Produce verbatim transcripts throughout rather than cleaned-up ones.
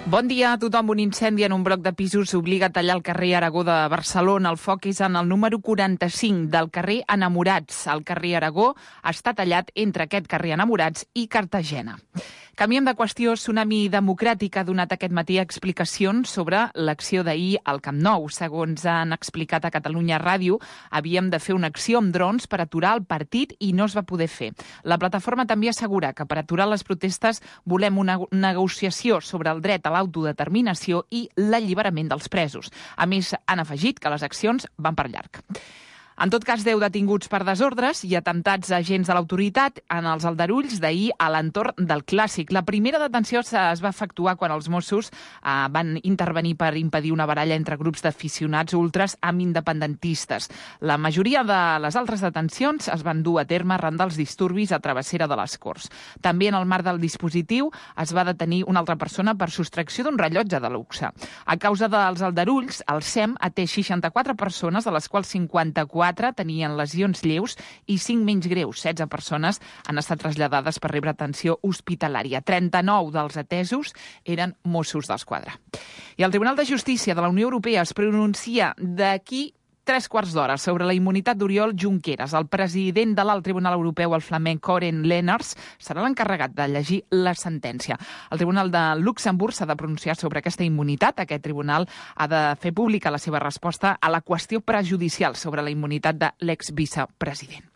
Bon dia a tothom. Un incendi en un bloc de pisos obliga a tallar el carrer Aragó de Barcelona. El foc és en el número quaranta-cinc del carrer Enamorats. El carrer Aragó està tallat entre aquest carrer Enamorats i Cartagena. Canviem de qüestió. Tsunami Democràtic ha donat aquest matí explicacions sobre l'acció d'ahir al Camp Nou. Segons han explicat a Catalunya Ràdio, havíem de fer una acció amb drons per aturar el partit i no es va poder fer. La plataforma també assegura que per aturar les protestes volem una negociació sobre el dret a l'autodeterminació i l'alliberament dels presos. A més, han afegit que les accions van per llarg. En tot cas, deu detinguts per desordres i atemptats a agents de l'autoritat en els aldarulls d'ahir a l'entorn del Clàssic. La primera detenció es va efectuar quan els Mossos eh, van intervenir per impedir una baralla entre grups d'aficionats ultres amb independentistes. La majoria de les altres detencions es van dur a terme arran dels disturbis a Travessera de les Corts. També en el marc del dispositiu es va detenir una altra persona per sostracció d'un rellotge de luxe. A causa dels aldarulls, el S E M atès seixanta-quatre persones, de les quals cinquanta-quatre tenien lesions lleus i cinc menys greus. setze persones han estat traslladades per rebre atenció hospitalària. trenta-nou dels atesos eren Mossos d'Esquadra. I el Tribunal de Justícia de la Unió Europea es pronuncia d'aquí tres quarts d'hora sobre la immunitat d'Oriol Junqueras. El president de l'Alt Tribunal Europeu, el flamenc Koren Lenaers, serà l'encarregat de llegir la sentència. El Tribunal de Luxemburg s'ha de pronunciar sobre aquesta immunitat. Aquest tribunal ha de fer pública la seva resposta a la qüestió prejudicial sobre la immunitat de l'exvicepresident.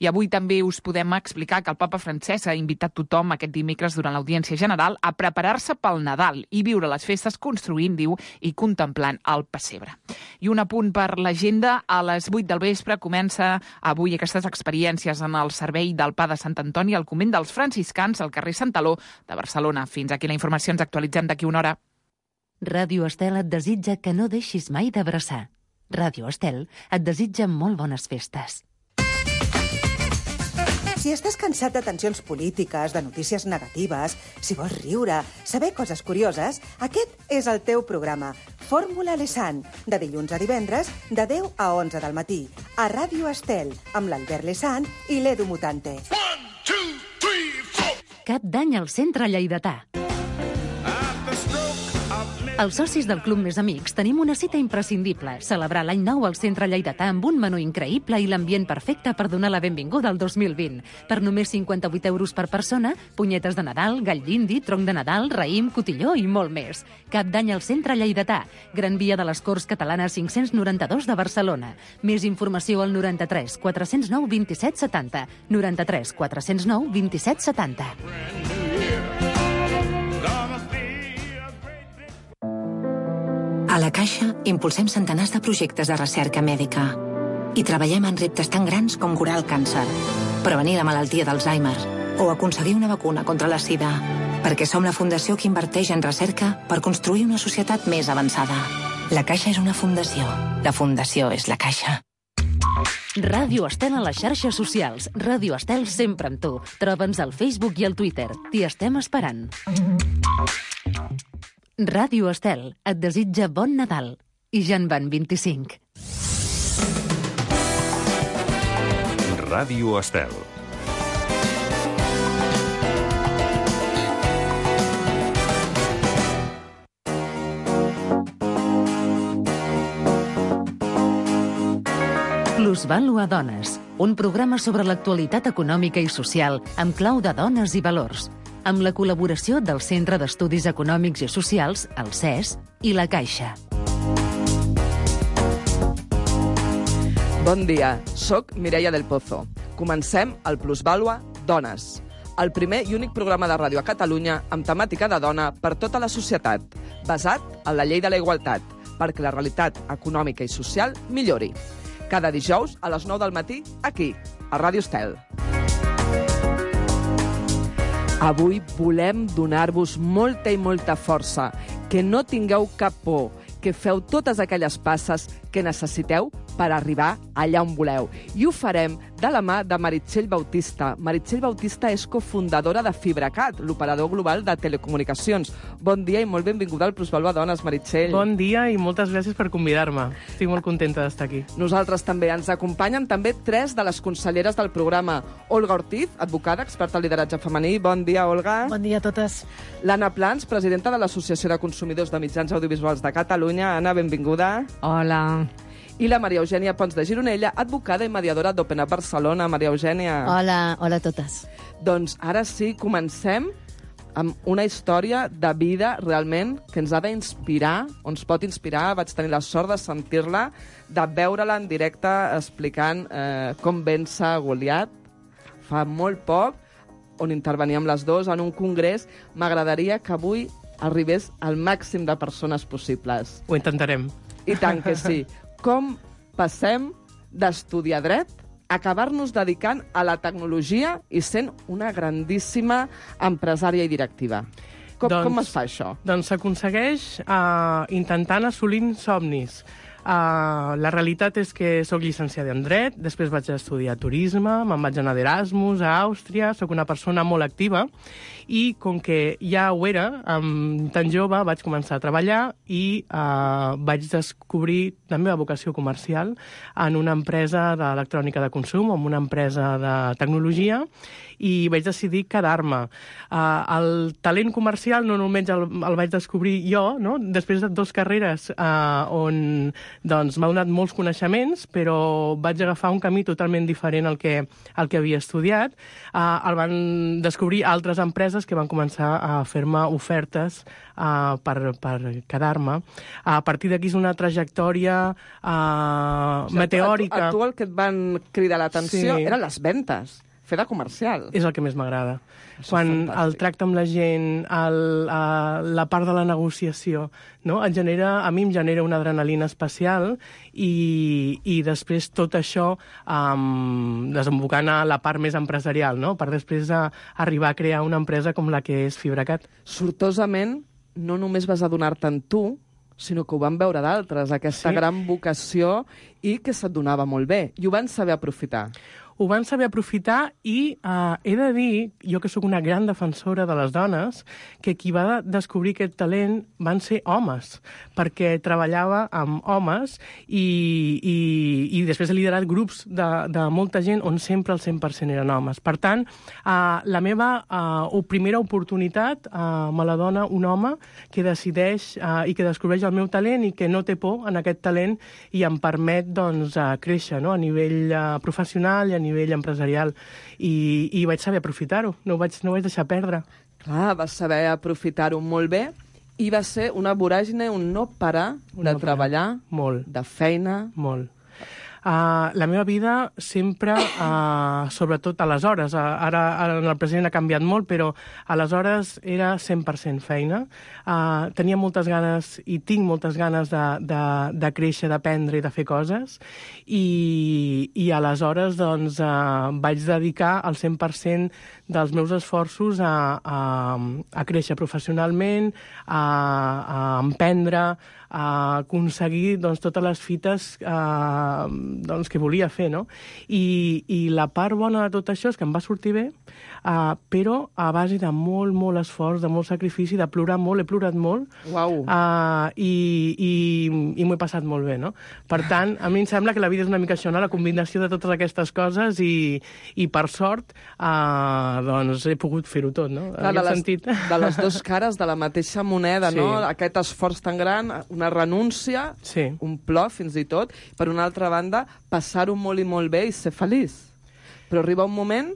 I avui també us podem explicar que el papa Francesc ha invitat tothom aquest dimecres durant l'audiència general a preparar-se pel Nadal i viure les festes construint, diu, i contemplant el pessebre. I un apunt per l'agenda. A les vuit del vespre comença avui aquestes experiències en el servei del Pa de Sant Antoni al convent dels franciscans al carrer Santaló de Barcelona. Fins aquí la informació. Ens actualitzem d'aquí una hora. Ràdio Estel et desitja que no deixis mai d'abraçar. Ràdio Estel et desitja molt bones festes. Si estàs cansat de tensions polítiques, de notícies negatives, si vols riure, saber coses curioses, aquest és el teu programa. Fórmula Lesan, de dilluns a divendres, de deu a onze del matí, a Ràdio Estel, amb l'Albert Lesan i l'Edu Mutante. One, two, three, four. Cap d'any al centre lleidatà. Els socis del Club Més Amics tenim una cita imprescindible, celebrar l'any nou al centre lleidatà amb un menú increïble i l'ambient perfecte per donar la benvinguda al dos mil vint. Per només cinquanta-vuit euros per persona, punyetes de Nadal, gall d'indi, tronc de Nadal, raïm, cotilló i molt més. Cap d'any al centre lleidatà, Gran Via de les Corts Catalanes cinc-cents noranta-dos de Barcelona. Més informació al noranta-tres quatre-cents nou vint-i-set setanta, noranta-tres quatre-cents nou vint-i-set setanta. A la Caixa impulsem centenars de projectes de recerca mèdica i treballem en reptes tan grans com curar el càncer, prevenir la malaltia d'Alzheimer o aconseguir una vacuna contra la sida, perquè som la fundació que inverteix en recerca per construir una societat més avançada. La Caixa és una fundació. La fundació és la Caixa. Ràdio Estel a les xarxes socials. Ràdio Estel sempre amb tu. Troba'ns al Facebook i al Twitter. T'hi estem esperant. Ràdio Estel et desitja bon Nadal. I ja en van vint-i-cinc. Ràdio Estel. Plusvàlua Dones, un programa sobre l'actualitat econòmica i social amb clau de dones i valors, amb la col·laboració del Centre d'Estudis Econòmics i Socials, el C E S, i la Caixa. Bon dia, soc Mireia del Pozo. Comencem el Plusvàlua Dones, el primer i únic programa de ràdio a Catalunya amb temàtica de dona per tota la societat, basat en la llei de la igualtat, perquè la realitat econòmica i social millori. Cada dijous a les nou del matí, aquí, a Ràdio Estel. Avui volem donar-vos molta i molta força, que no tingueu cap por, que feu totes aquelles passes que necessiteu per arribar allà on voleu. I ho farem de la mà de Meritxell Bautista. Meritxell Bautista és cofundadora de FibraCat, l'operador global de telecomunicacions. Bon dia i molt benvinguda al Plusvalua Dones, Meritxell. Bon dia i moltes gràcies per convidar-me. Estic molt contenta d'estar aquí. Nosaltres també. Ens acompanyen també tres de les conselleres del programa. Olga Ortiz, advocada, experta en lideratge femení. Bon dia, Olga. Bon dia a totes. L'Anna Plans, presidenta de l'Associació de Consumidors de Mitjans Audiovisuals de Catalunya. Anna, benvinguda. Hola. I la Maria Eugènia Pons de Gironella, advocada i mediadora d'Open Up Barcelona. Maria Eugènia. Hola, hola a totes. Doncs ara sí, comencem amb una història de vida realment que ens ha d'inspirar, o ens pot inspirar. Vaig tenir la sort de sentir-la, de veure-la en directe explicant eh, com vèncer Goliat fa molt poc, on interveníem les dues en un congrés. M'agradaria que avui arribés al màxim de persones possibles. Ho intentarem. I tant que sí. Com passem d'estudiar dret a acabar-nos dedicant a la tecnologia i sent una grandíssima empresària i directiva? Com, doncs, com es fa això? Doncs s'aconsegueix uh, intentant assolint somnis. Uh, la realitat és que sóc llicenciada en dret, després vaig estudiar turisme, me'n vaig anar d'Erasmus a Àustria, sóc una persona molt activa i com que ja ho era, um, tan jove, vaig començar a treballar i uh, vaig descobrir la meva vocació comercial en una empresa d'electrònica de consum, en una empresa de tecnologia, i vaig decidir quedar-me. Uh, el talent comercial no només el, el vaig descobrir jo, no? Després de dues carreres uh, on doncs, m'ha donat molts coneixements, però vaig agafar un camí totalment diferent al que, al que havia estudiat. Uh, el van descobrir altres empreses que van començar a fer-me ofertes uh, per, per quedar-me. Uh, a partir d'aquí és una trajectòria uh, o sigui, meteòrica. A tu, a tu el que et van cridar l'atenció Sí. eren les ventes, fer de comercial. És el que més m'agrada. Això Quan és fantàstic. el tracte amb la gent, el, uh, la part de la negociació, no? Et genera, a mi em genera una adrenalina especial i, i després tot això um, desembocant a la part més empresarial, no? Per després a, arribar a crear una empresa com la que és FibraCat. Sortosament, no només vas adonar-te'n tu, sinó que ho van veure d'altres, aquesta Sí. gran vocació i que se't donava molt bé. I ho van saber aprofitar. Ho van saber aprofitar i uh, he de dir, jo que sóc una gran defensora de les dones, que qui va descobrir aquest talent van ser homes, perquè treballava amb homes i, i, i després he liderat grups de, de molta gent on sempre el cent per cent eren homes. Per tant, uh, la meva uh, primera oportunitat uh, me la dona un home que decideix uh, i que descobreix el meu talent i que no té por en aquest talent i em permet doncs, uh, créixer, no? A nivell uh, professional i a nivell nivell empresarial, i, i vaig saber aprofitar-ho, no ho vaig, no ho vaig deixar perdre. Clar, vas saber aprofitar-ho molt bé i va ser una voràgine, un no parar Un de no parar. treballar, Molt. de feina. Molt. Uh, la meva vida sempre, uh, sobretot aleshores, uh, ara, ara en el present ha canviat molt, però aleshores era cent per cent feina. Uh, tenia moltes ganes i tinc moltes ganes de, de, de créixer, d'aprendre i de fer coses, i, i aleshores doncs, uh, vaig dedicar el cent per cent dels meus esforços a, a, a créixer professionalment, a, a emprendre, a aconseguir doncs, totes les fites eh, doncs, que volia fer, no? I, I la part bona de tot això és que em va sortir bé, eh, però a base de molt, molt esforç, de molt sacrifici, de plorar molt, he plorat molt, Uau. eh, i, i, i m'ho he passat molt bé, no? Per tant, a mi em sembla que la vida és una mica això, no? La combinació de totes aquestes coses i, i per sort, eh, doncs he pogut fer-ho tot, no? Clar, En de, aquest les, sentit. de les dues cares de la mateixa moneda, Sí. no? Aquest esforç tan gran, una renúncia, Sí. un plor fins i tot, per una altra banda, passar-ho molt i molt bé i ser feliç. Però arriba un moment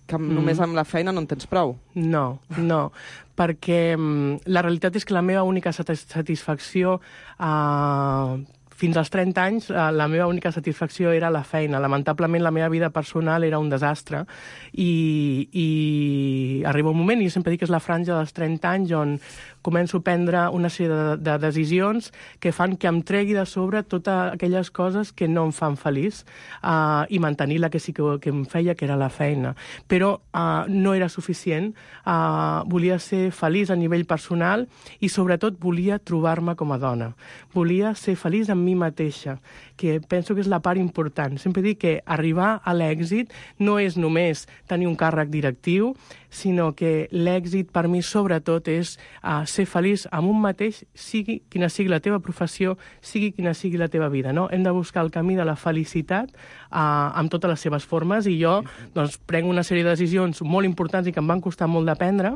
que mm. només amb la feina no en tens prou. No, no, perquè mm, la realitat és que la meva única satis- satisfacció eh, fins als trenta anys, eh, la meva única satisfacció era la feina. Lamentablement, la meva vida personal era un desastre i, i arriba un moment, i jo sempre dic que és la franja dels trenta anys on començo a prendre una sèrie de, de decisions que fan que em tregui de sobre totes aquelles coses que no em fan feliç uh, i mantenir la que sí que, que em feia, que era la feina. Però uh, no era suficient. Uh, volia ser feliç a nivell personal i, sobretot, volia trobar-me com a dona. Volia ser feliç amb mi mateixa, que penso que és la part important. Sempre dic que arribar a l'èxit no és només tenir un càrrec directiu, sinó que l'èxit per mi sobretot és uh, ser feliç amb un mateix, sigui quina sigui la teva professió, sigui quina sigui la teva vida. No? Hem de buscar el camí de la felicitat uh, amb totes les seves formes, i jo doncs, prenc una sèrie de decisions molt importants i que em van costar molt d'aprendre,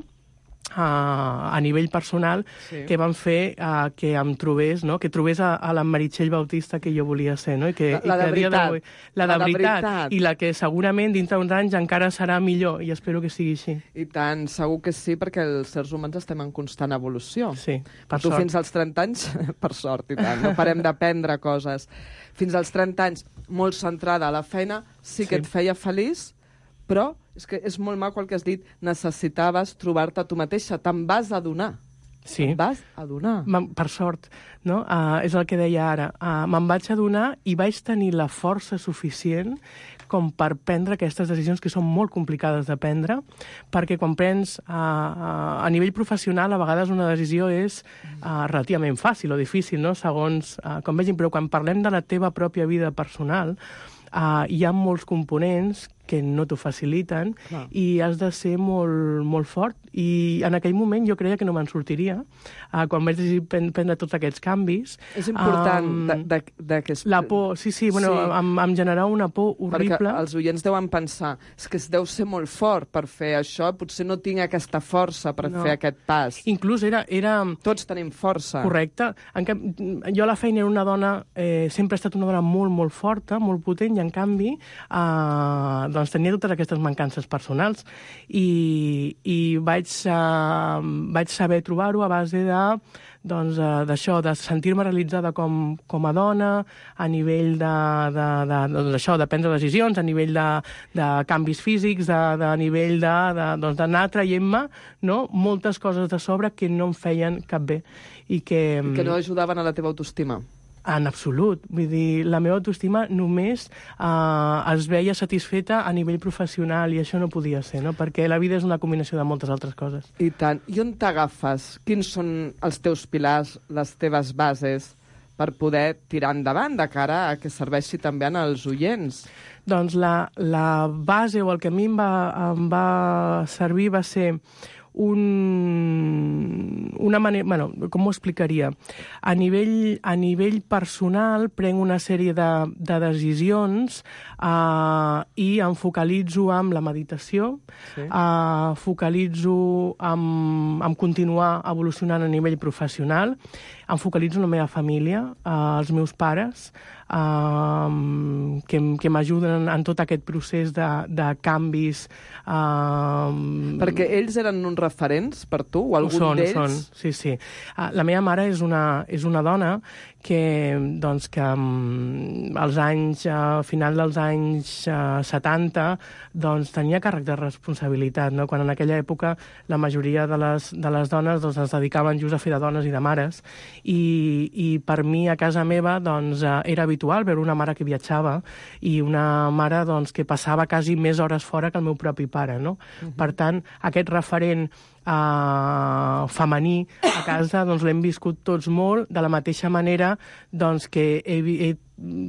Uh, a nivell personal, sí. que van fer uh, que em trobés, no? que trobés a, a la Meritxell Bautista que jo volia ser. No? I que, la, la, i que de veritat. La, la de de veritat. veritat. I la que segurament dintre d'uns anys encara serà millor, i espero que sigui així. I tant, segur que sí, perquè els éssers humans estem en constant evolució. Sí, per tu sort. Fins als trenta anys, per sort, i tant, no parem d'aprendre coses. Fins als trenta anys, molt centrada a la feina, sí que sí. et feia feliç, però és que és molt maco el que has dit, necessitaves trobar-te a tu mateixa, te'n vas adonar. Sí. Te'n vas adonar. Per sort, no? Uh, és el que deia ara. Uh, me'n vaig adonar i vaig tenir la força suficient com per prendre aquestes decisions que són molt complicades de prendre, perquè quan prens uh, uh, a nivell professional, a vegades una decisió és uh, relativament fàcil o difícil, no? Segons uh, com vegin, però quan parlem de la teva pròpia vida personal, uh, hi ha molts components que no t'ho faciliten. Clar. I has de ser molt, molt fort. I en aquell moment jo creia que no me'n sortiria. Uh, quan vaig decidir prendre tots aquests canvis... És important um, de, de, de que... Es... La por, sí, sí, bueno, sí. Em, em generava una por horrible. Perquè els oients deuen pensar, és que es deu ser molt fort per fer això, potser no tinc aquesta força per no. fer aquest pas. Inclús era... era... Tots tenim força. Correcte. En cap... Jo a la feina era una dona, eh, sempre he estat una dona molt, molt forta, molt potent, i en canvi eh, doncs tenia totes aquestes mancances personals. I, i vaig, uh, vaig saber trobar-ho a base de doncs, uh, d'això, de sentir-me realitzada com, com a dona, a nivell de, de, de, de, d'això, de prendre decisions, a nivell de, de canvis físics, de, de nivell de, de, doncs, d'anar traient-me, no? moltes coses de sobre que no em feien cap bé. I que, I que no ajudaven a la teva autoestima. En absolut. Vull dir, la meva autoestima només eh, es veia satisfeta a nivell professional, i això no podia ser, no? Perquè la vida és una combinació de moltes altres coses. I tant. I on t'agafes? Quins són els teus pilars, les teves bases per poder tirar endavant de cara a que serveixi també als oients? Doncs la, la base, o el que a mi em va, em va servir, va ser un, una manera... Bueno, com ho explicaria? A nivell, a nivell personal prenc una sèrie de, de decisions uh, i em focalitzo amb la meditació, sí. uh, focalitzo amb, amb continuar evolucionant a nivell professional, em focalitzo en la meva família, uh, els meus pares, Uh, que, que m'ajuden en tot aquest procés de, de canvis. Uh, Perquè ells eren uns referents per tu, o algun són, d'ells? Són, sí, sí. Uh, la meva mare és una, és una dona que, doncs, que um, als anys, a uh, final dels anys uh, setanta, doncs, tenia càrrec de responsabilitat, no? Quan en aquella època la majoria de les, de les dones doncs, es dedicaven just a fer de dones i de mares, i, i per mi a casa meva doncs, uh, era habitual veure una mare que viatjava i una mare doncs, que passava quasi més hores fora que el meu propi pare, no? Uh-huh. Per tant, aquest referent Uh, femení a casa doncs l'hem viscut tots molt, de la mateixa manera doncs, que he, he,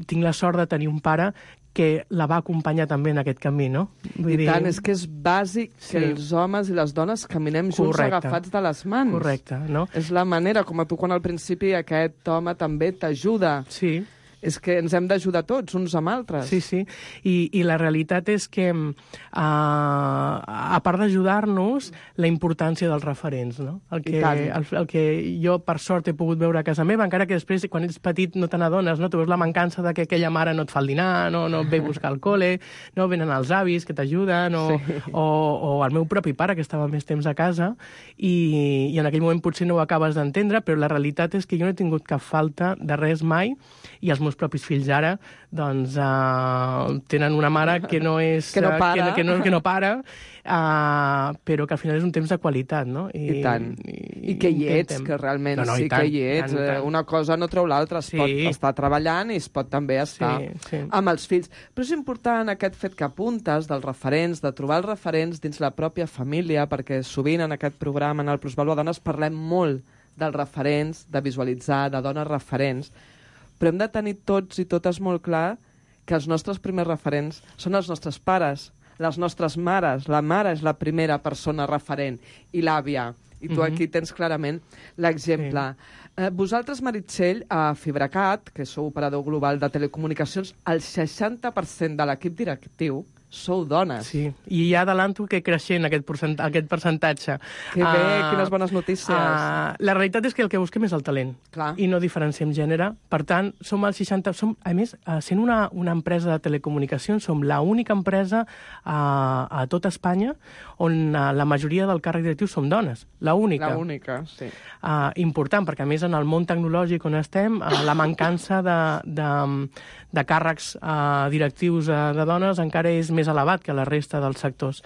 tinc la sort de tenir un pare que la va acompanyar també en aquest camí, no? Vull I dir... tant, és que és bàsic sí. que els homes i les dones caminem junts Correcte. agafats de les mans. Correcte, no? És la manera, com a tu quan al principi aquest home també t'ajuda. Sí. És que ens hem d'ajudar tots, uns amb altres. Sí, sí. I, i la realitat és que, uh, a part d'ajudar-nos, la importància dels referents, no? El que, el, el que jo, per sort, he pogut veure a casa meva, encara que després, quan ets petit, no te n'adones, no? Tu veus la mancança de que aquella mare no et fa el dinar, no, no et ve a buscar al col·le, no venen els avis que t'ajuden, o, sí. o, o el meu propi pare, que estava més temps a casa, i, i en aquell moment potser no ho acabes d'entendre, però la realitat és que jo no he tingut cap falta de res mai, i els meus propis fills ara doncs, uh, tenen una mare que no és... que no para. Uh, que, que, no, que no para, uh, però que al final és un temps de qualitat, no? I, I tant. I, I que hi ets, intentem. que realment no, no, sí tant, que hi ets. Tant, tant. Una cosa no treu l'altra. Es sí. pot estar treballant i es pot també estar sí, sí. amb els fills. Però és important aquest fet que apuntes dels referents, de trobar els referents dins la pròpia família, perquè sovint en aquest programa, en el Plusvàlua Dones, parlem molt dels referents, de visualitzar, de dones referents, però hem de tenir tots i totes molt clar que els nostres primers referents són els nostres pares, les nostres mares. La mare és la primera persona referent, i l'àvia. I tu aquí tens clarament l'exemple. Sí. Eh, vosaltres, Meritxell, a Fibracat, que sou operador global de telecomunicacions, el seixanta per cent de l'equip directiu sou dones. Sí, i ja adelanto que creixent aquest, percent aquest percentatge. Que bé, uh, quines bones notícies. Uh, la realitat és que el que busquem és el talent. Clar. I no diferenciem gènere. Per tant, som el seixanta... Som, a més, uh, sent una, una empresa de telecomunicacions, som l'única empresa uh, a tot Espanya on uh, la majoria del càrrec directiu som dones. La única. La única, sí. Uh, important, perquè a més en el món tecnològic on estem, uh, la mancança de, de, de càrrecs uh, directius uh, de dones encara és més elevat que la resta dels sectors.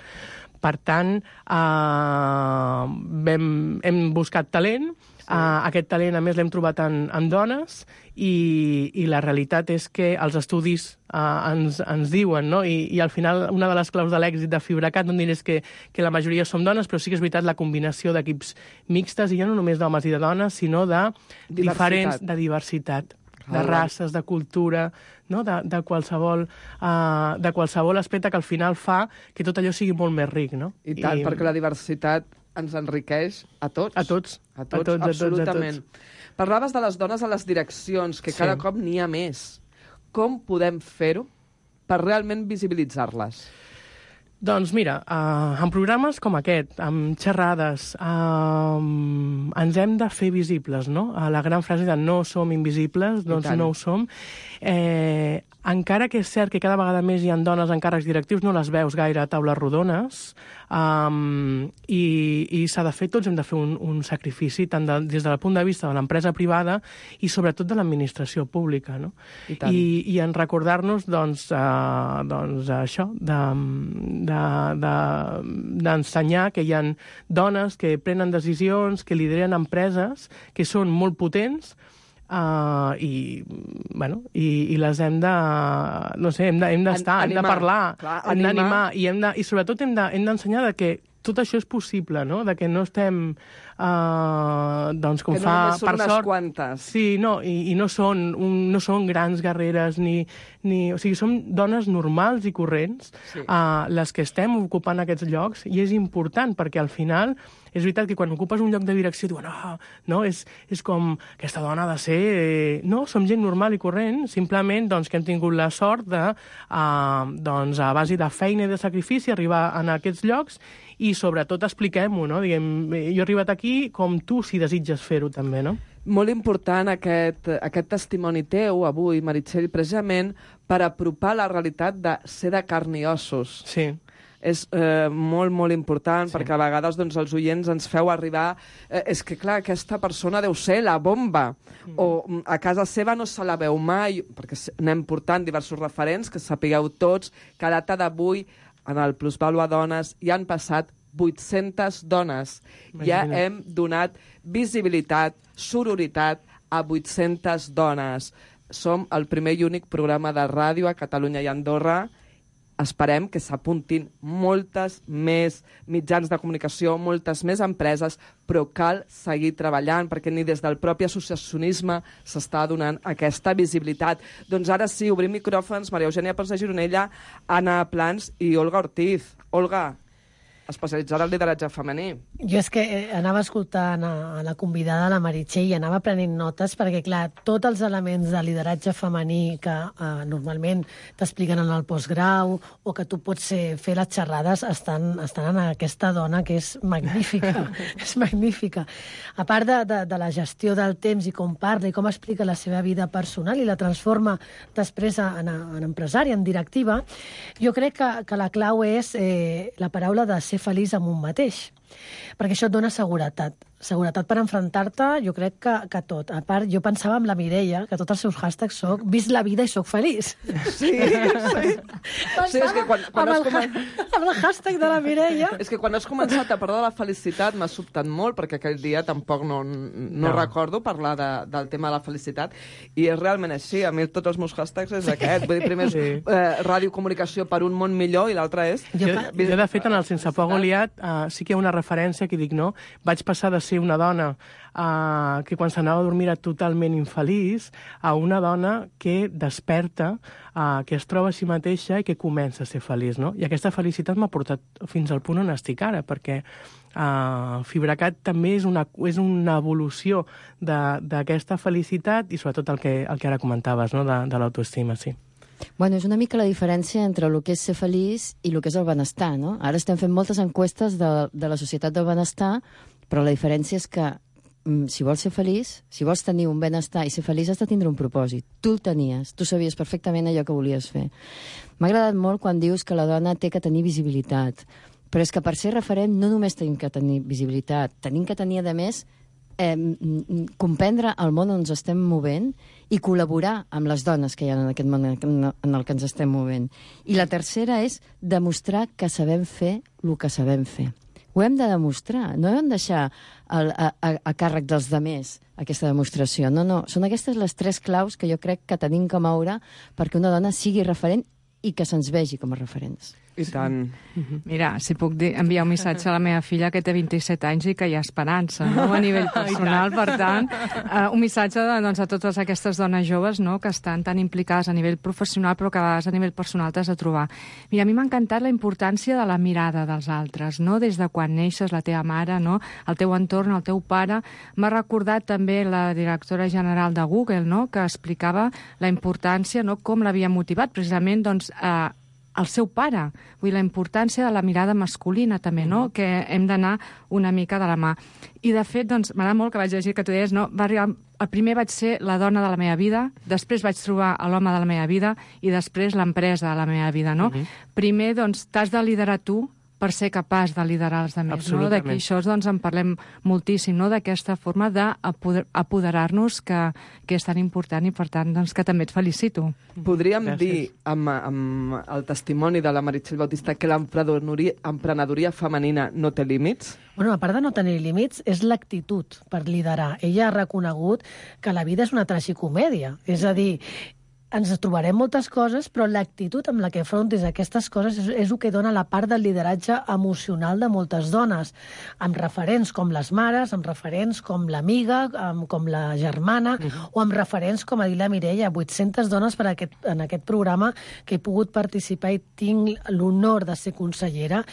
Per tant, uh, vam, hem buscat talent, sí. uh, aquest talent a més l'hem trobat en, en dones, i, i la realitat és que els estudis uh, ens, ens diuen, no? I, i al final una de les claus de l'èxit de Fibracat no diré és que, que la majoria som dones, però sí que és veritat la combinació d'equips mixtes, i ja no només d'homes i de dones, sinó de diversitat. diferents, de diversitat, de races, de cultura, no? de, de, qualsevol, uh, de qualsevol aspecte que al final fa que tot allò sigui molt més ric. No? I tant, I... perquè la diversitat ens enriqueix a tots. A tots. A tots, a tots absolutament. A tots, a tots. Parlaves de les dones a les direccions, que sí. cada cop n'hi ha més. Com podem fer-ho per realment visibilitzar-les? Doncs mira, uh, en programes com aquest, amb xerrades, uh, ens hem de fer visibles, no? Uh, la gran frase de no som invisibles, doncs no ho som. Eh, encara que és cert que cada vegada més hi ha dones en càrrecs directius, no les veus gaire a taules rodones, um, i, i s'ha de fer, tots hem de fer un, un sacrifici, tant de, des del punt de vista de l'empresa privada i sobretot de l'administració pública, no? I, tant. I, i en recordar-nos, doncs, uh, doncs això, de, de, de, d'ensenyar que hi ha dones que prenen decisions, que lideren empreses, que són molt potents, Uh, i, bueno, i, i les hem de, no sé, hem d'estar, de, hem, de hem de parlar, clar, hem d'animar, i, hem de, i sobretot hem d'ensenyar de, hem que tot això és possible, no? De que no estem, uh, doncs, com que no fa, només són per unes sort... quantes. Sí, no, i, i no, són un, no són grans guerreres, ni, ni... O sigui, som dones normals i corrents, sí. uh, les que estem ocupant aquests llocs, i és important, perquè al final és veritat que quan ocupes un lloc de direcció diuen, oh, no, és, és com, aquesta dona ha de ser... Eh... No, som gent normal i corrent, simplement doncs, que hem tingut la sort de, uh, doncs, a base de feina i de sacrifici, arribar a aquests llocs, i sobretot expliquem-ho, no? Diguem, jo he arribat aquí com tu, si desitges fer-ho també, no? Molt important aquest, aquest testimoni teu avui, Meritxell, precisament per apropar la realitat de ser de carn i ossos. Sí. És eh, molt, molt important, sí. perquè a vegades doncs, els oients ens feu arribar... Eh, és que, clar, aquesta persona deu ser la bomba, mm. o a casa seva no se la veu mai, perquè anem portant diversos referents, que sapigueu tots que a data d'avui, en el Plusvàlua Dones, hi han passat vuit-centes dones. Imagina. Ja hem donat visibilitat, sororitat a vuit-centes dones. Som el primer i únic programa de ràdio a Catalunya i Andorra. Esperem que s'apuntin moltes més mitjans de comunicació, moltes més empreses, però cal seguir treballant, perquè ni des del propi associacionisme s'està donant aquesta visibilitat. Doncs ara sí, obrim micròfons, Maria Eugènia Pons de Gironella, Anna Plans i Olga Ortiz. Olga, especialitzada en lideratge femení. Jo és que anava escoltant a, a la convidada, la Meritxell, i anava prenent notes, perquè, clar, tots els elements de lideratge femení que eh, normalment t'expliquen en el postgrau o que tu pots eh, fer les xerrades estan, estan en aquesta dona que és magnífica. És magnífica. A part de, de, de la gestió del temps i com parla i com explica la seva vida personal i la transforma després en, en empresària, en directiva, jo crec que, que la clau és eh, la paraula de ser feliç amb un mateix, perquè això et dona seguretat. Seguretat per enfrontar-te, jo crec que, que tot. A part, jo pensava amb la Mireia, que tots els seus hashtags soc vist la vida i soc feliç. Sí, sí. Sí, és que quan, quan amb, has el, comen... amb el hashtag de la Mireia... És que quan has començat a parlar de la felicitat m'ha sobtat molt, perquè aquell dia tampoc no, no, no. recordo parlar de, del tema de la felicitat, i és realment així. A mi tots els meus hashtags és aquest. Vull dir, primer és sí. eh, ràdio comunicació per un món millor, i l'altre és... Jo, jo, de fet, en el Sense Por Goliat, uh, sí que hi ha una referència referència que dic, no? Vaig passar de ser una dona uh, que quan s'anava a dormir era totalment infeliç a una dona que desperta, uh, que es troba a si mateixa i que comença a ser feliç, no? I aquesta felicitat m'ha portat fins al punt on estic ara, perquè uh, Fibracat també és una, és una evolució d'aquesta felicitat i sobretot el que, el que ara comentaves, no? de, de l'autoestima, sí. Bueno, és una mica la diferència entre el que és ser feliç i el que és el benestar, no? Ara estem fent moltes enquestes de, de la societat del benestar, però la diferència és que mm, si vols ser feliç, si vols tenir un benestar i ser feliç, has de tindre un propòsit. Tu el tenies, tu sabies perfectament allò que volies fer. M'ha agradat molt quan dius que la dona té que tenir visibilitat, però és que per ser referent no només tenim que tenir visibilitat, tenim que tenir, a més, Eh, comprendre el món on ens estem movent i col·laborar amb les dones que hi ha en aquest món en el que ens estem movent. I la tercera és demostrar que sabem fer el que sabem fer. Ho hem de demostrar, no hem de deixar el, a, a, a càrrec dels demés aquesta demostració. No, no, són aquestes les tres claus que jo crec que tenim que moure perquè una dona sigui referent i que se'ns vegi com a referents. I tant. Mira, si puc dir, enviar un missatge a la meva filla que té vint-i-set anys i que hi ha esperança, no?, a nivell personal. Per tant, uh, un missatge de, doncs, a totes aquestes dones joves, no?, que estan tan implicades a nivell professional però que a vegades a nivell personal t'has de trobar. Mira, a mi m'ha encantat la importància de la mirada dels altres, no?, des de quan neixes, la teva mare, no?, el teu entorn, el teu pare. M'ha recordat també la directora general de Google, no?, que explicava la importància, no?, com l'havia motivat precisament, doncs, a eh, el seu pare. Vull dir, la importància de la mirada masculina, també, no?, que hem d'anar una mica de la mà. I, de fet, doncs, m'agrada molt que vaig llegir que tu deies, no?, va arribar... El primer vaig ser la dona de la meva vida, després vaig trobar l'home de la meva vida i després l'empresa de la meva vida, no? Uh-huh. Primer, doncs, t'has de liderar tu per ser capaç de liderar els altres, no? D'aquí això doncs, en parlem moltíssim, no?, d'aquesta forma d'apoderar-nos que, que és tan important i, per tant, doncs, que també et felicito. Podríem Gràcies. dir, amb, amb el testimoni de la Meritxell Bautista, que l'emprenedoria femenina no té límits? Bueno, a part de no tenir límits, és l'actitud per liderar. Ella ha reconegut que la vida és una tragicomèdia. És a dir, ens trobarem moltes coses, però l'actitud amb la que afrontis aquestes coses és, és el que dona la part del lideratge emocional de moltes dones, amb referents com les mares, amb referents com l'amiga, com la germana, uh-huh. o amb referents, com ha dit la Mireia, vuit-centes dones per aquest, en aquest programa que he pogut participar i tinc l'honor de ser consellera.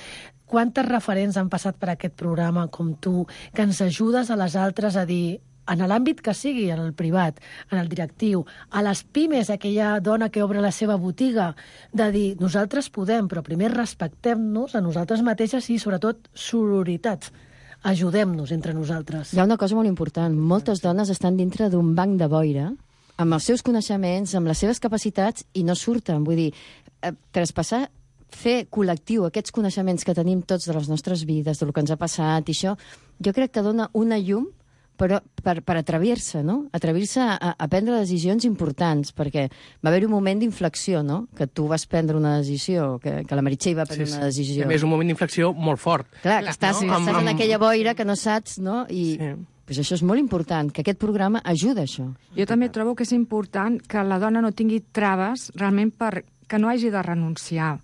Quantes referents han passat per aquest programa com tu, que ens ajudes a les altres a dir... en l'àmbit que sigui, en el privat, en el directiu, a les pimes, aquella dona que obre la seva botiga, de dir, nosaltres podem, però primer respectem-nos a nosaltres mateixes i, sobretot, sororitat. Ajudem-nos entre nosaltres. Hi ha una cosa molt important. Moltes dones estan dintre d'un banc de boira, amb els seus coneixements, amb les seves capacitats, i no surten. Vull dir, eh, traspassar fer col·lectiu aquests coneixements que tenim tots de les nostres vides, del que ens ha passat, i això, jo crec que dona una llum però per, per atrevir-se, no? Atrevir-se a, a prendre decisions importants, perquè va haver un moment d'inflexió, no? Que tu vas prendre una decisió, que, que la Meritxell va prendre sí, sí. una decisió. A més, un moment d'inflexió molt fort. Clar, que estàs, no? estàs amb, en aquella boira que no saps, no? I sí. pues això és molt important, que aquest programa ajuda a això. Jo també trobo que és important que la dona no tingui traves realment per que no hagi de renunciar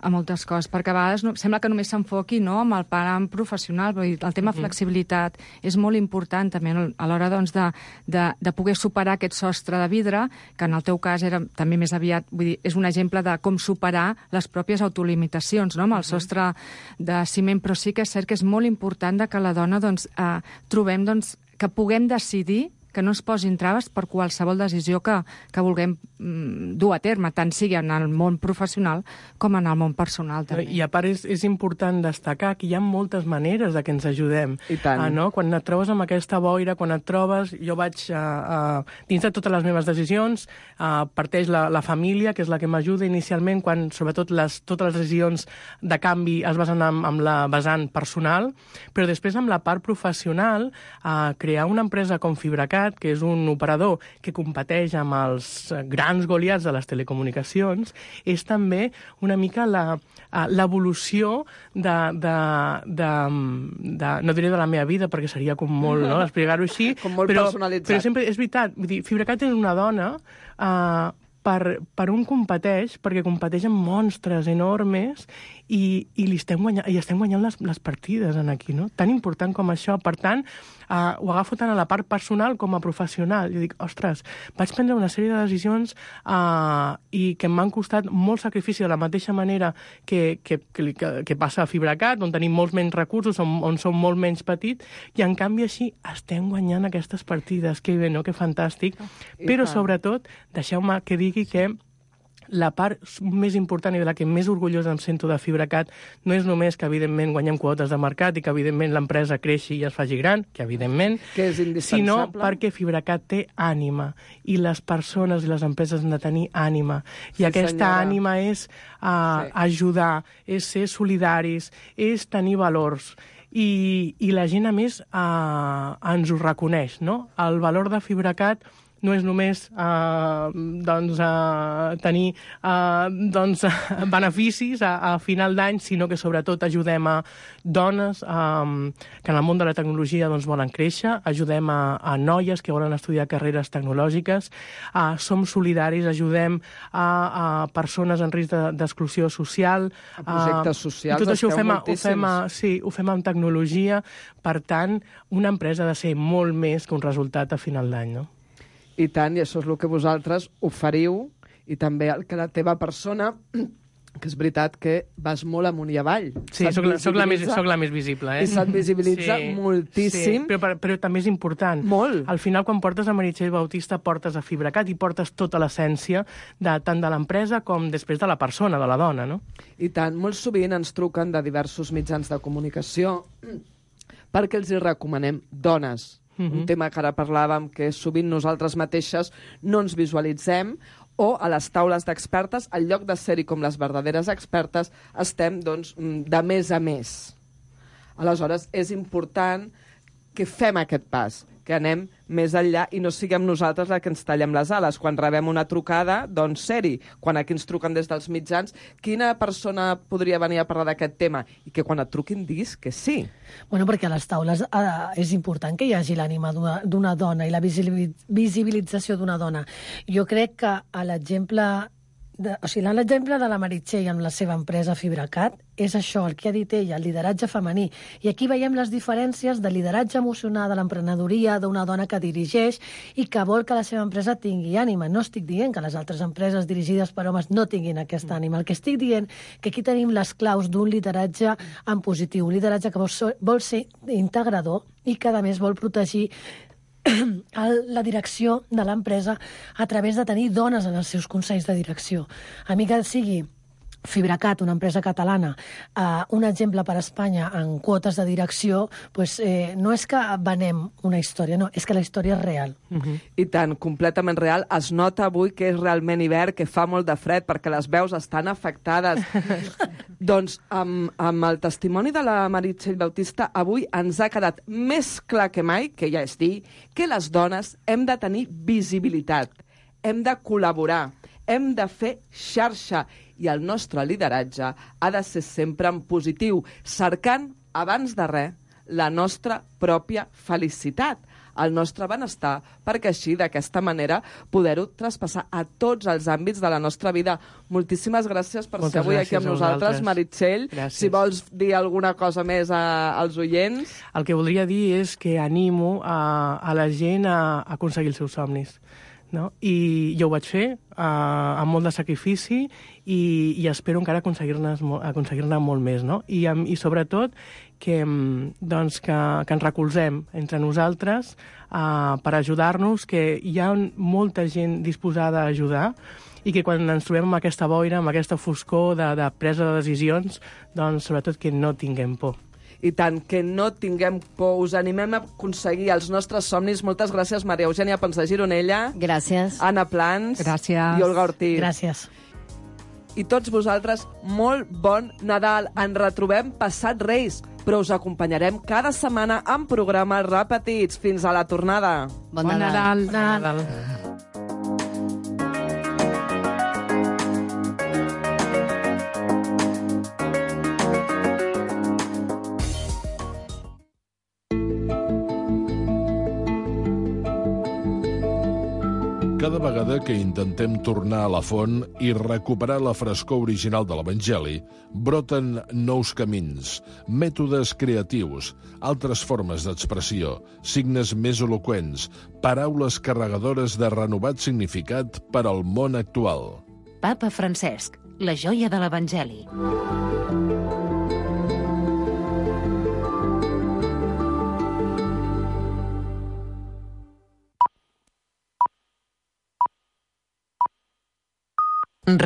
a moltes coses, perquè a vegades no, sembla que només s'enfoqui no, amb el param professional, vull dir, el tema uh-huh. flexibilitat és molt important també a l'hora doncs, de, de, de poder superar aquest sostre de vidre, que en el teu cas era també més aviat, vull dir, és un exemple de com superar les pròpies autolimitacions, no, amb el sostre de ciment, però sí que és cert que és molt important de que la dona doncs, eh, trobem doncs, que puguem decidir, que no es posin traves per qualsevol decisió que, que vulguem mm, dur a terme, tant sigui en el món professional com en el món personal. També. I a part és, és important destacar que hi ha moltes maneres de que ens ajudem. I tant. Ah, no? Quan et trobes amb aquesta boira, quan et trobes... Jo vaig, uh, uh, dins de totes les meves decisions, uh, parteix la, la família, que és la que m'ajuda inicialment, quan sobretot les, totes les decisions de canvi es basen amb, amb la vessant personal, però després amb la part professional, uh, crear una empresa com Fibracat, que és un operador que competeix amb els grans goliats de les telecomunicacions, és també una mica la, l'evolució de, de, de, de... No diré de la meva vida, perquè seria com molt, no?, explicar-ho així. Com molt però, personalitzat. Però sempre és veritat. Vull dir, Fibracat és una dona... Uh, per, per on competeix, perquè competeix amb monstres enormes i, i, li estem guanyant, i estem guanyant les, les partides en aquí, no? Tan important com això. Per tant, eh, ho agafo tant a la part personal com a professional. Jo dic, ostres, vaig prendre una sèrie de decisions eh, i que m'han costat molt sacrifici de la mateixa manera que, que, que, que, que passa a Fibracat, on tenim molts menys recursos, on, on som molt menys petits, i en canvi així estem guanyant aquestes partides. Que bé, no? Que fantàstic. I Però, tant. sobretot, deixeu-me que digui que la part més important i de la que més orgullosa em sento de Fibracat no és només que, evidentment, guanyem quotes de mercat i que, evidentment, l'empresa creixi i es faci gran, que, evidentment, que és indispensable, sinó perquè Fibracat té ànima i les persones i les empreses han de tenir ànima. I sí, aquesta senyora. ànima és uh, sí. ajudar, és ser solidaris, és tenir valors. I, i la gent, a més, uh, ens ho reconeix, no? El valor de Fibracat no és només uh, doncs, uh, tenir uh, doncs, beneficis a, a final d'any, sinó que sobretot ajudem a dones um, que en el món de la tecnologia doncs, volen créixer, ajudem a, a noies que volen estudiar carreres tecnològiques, uh, som solidaris, ajudem a, a persones en risc d'exclusió social. A projectes socials, uh, tot això ho fem, ho fem, a, sí, ho fem amb tecnologia, per tant, una empresa ha de ser molt més que un resultat a final d'any, no? I tant, i això és el que vosaltres oferiu, i també el que la teva persona, que és veritat que vas molt amunt i avall. Sí, soc la, soc, la més, soc la més visible, eh? I se't visibilitza sí, moltíssim. Sí, però, però també és important. Molt. Al final, quan portes a Meritxell Bautista, portes a Fibracat i portes tota l'essència de, tant de l'empresa com després de la persona, de la dona, no? I tant, molt sovint ens truquen de diversos mitjans de comunicació perquè els hi recomanem dones. Uh-huh. Un tema que ara parlàvem, que sovint nosaltres mateixes no ens visualitzem, o a les taules d'expertes, en lloc de ser-hi com les verdaderes expertes, estem doncs, de més a més. Aleshores, és important que fem aquest pas, que anem més enllà i no siguem nosaltres la que ens tallem les ales. Quan rebem una trucada, doncs ser-hi. Quan aquí ens truquen des dels mitjans, quina persona podria venir a parlar d'aquest tema? I que quan et truquin diguis que sí. Bueno, perquè a les taules eh, és important que hi hagi l'ànima d'una dona i la visibilització d'una dona. Jo crec que a l'exemple de, o sigui, l'exemple de la Meritxell amb la seva empresa Fibracat és això, el que ha dit ella, el lideratge femení. I aquí veiem les diferències de lideratge emocional, de l'emprenedoria, d'una dona que dirigeix i que vol que la seva empresa tingui ànima. No estic dient que les altres empreses dirigides per homes no tinguin aquesta ànima. El que estic dient que aquí tenim les claus d'un lideratge en positiu, un lideratge que vol ser, vol ser integrador i que, a més, vol protegir la direcció de l'empresa a través de tenir dones en els seus consells de direcció. A mi que sigui Fibracat, una empresa catalana, eh, un exemple per a Espanya en quotes de direcció, pues, eh, no és que venem una història, no, és que la història és real. Uh-huh. I tant, completament real. Es nota avui que és realment hivern, que fa molt de fred, perquè les veus estan afectades. Doncs amb, amb el testimoni de la Meritxell Bautista, avui ens ha quedat més clar que mai, que ja és dir, que les dones hem de tenir visibilitat, hem de col·laborar, hem de fer xarxa, i el nostre lideratge ha de ser sempre en positiu, cercant, abans de res, la nostra pròpia felicitat, el nostre benestar, perquè així, d'aquesta manera, poder-ho traspassar a tots els àmbits de la nostra vida. Moltíssimes gràcies per Moltes ser avui aquí amb nosaltres, Meritxell. Gràcies. Si vols dir alguna cosa més a, als oients... El que voldria dir és que animo a, a la gent a, a aconseguir els seus somnis. No? I jo ho vaig fer uh, amb molt de sacrifici i, i espero encara aconseguir-ne aconseguir molt més. No? I, um, I sobretot que, um, doncs que, que ens recolzem entre nosaltres uh, per ajudar-nos, que hi ha molta gent disposada a ajudar i que quan ens trobem amb aquesta boira, amb aquesta foscor de, de presa de decisions, doncs sobretot que no tinguem por. I tant, que no tinguem por, us animem a aconseguir els nostres somnis. Moltes gràcies, Maria Eugènia Pons de Gironella. Gràcies. Anna Plans. Gràcies. I Olga Ortiz. Gràcies. I tots vosaltres, molt bon Nadal. Ens retrobem passat Reis, però us acompanyarem cada setmana en programes repetits. Fins a la tornada. Bon, bon Nadal. Nadal. Nadal. Cada vegada que intentem tornar a la font i recuperar la frescor original de l'Evangeli, broten nous camins, mètodes creatius, altres formes d'expressió, signes més eloqüents, paraules carregadores de renovat significat per al món actual. Papa Francesc, la joia de l'Evangeli. Ràdio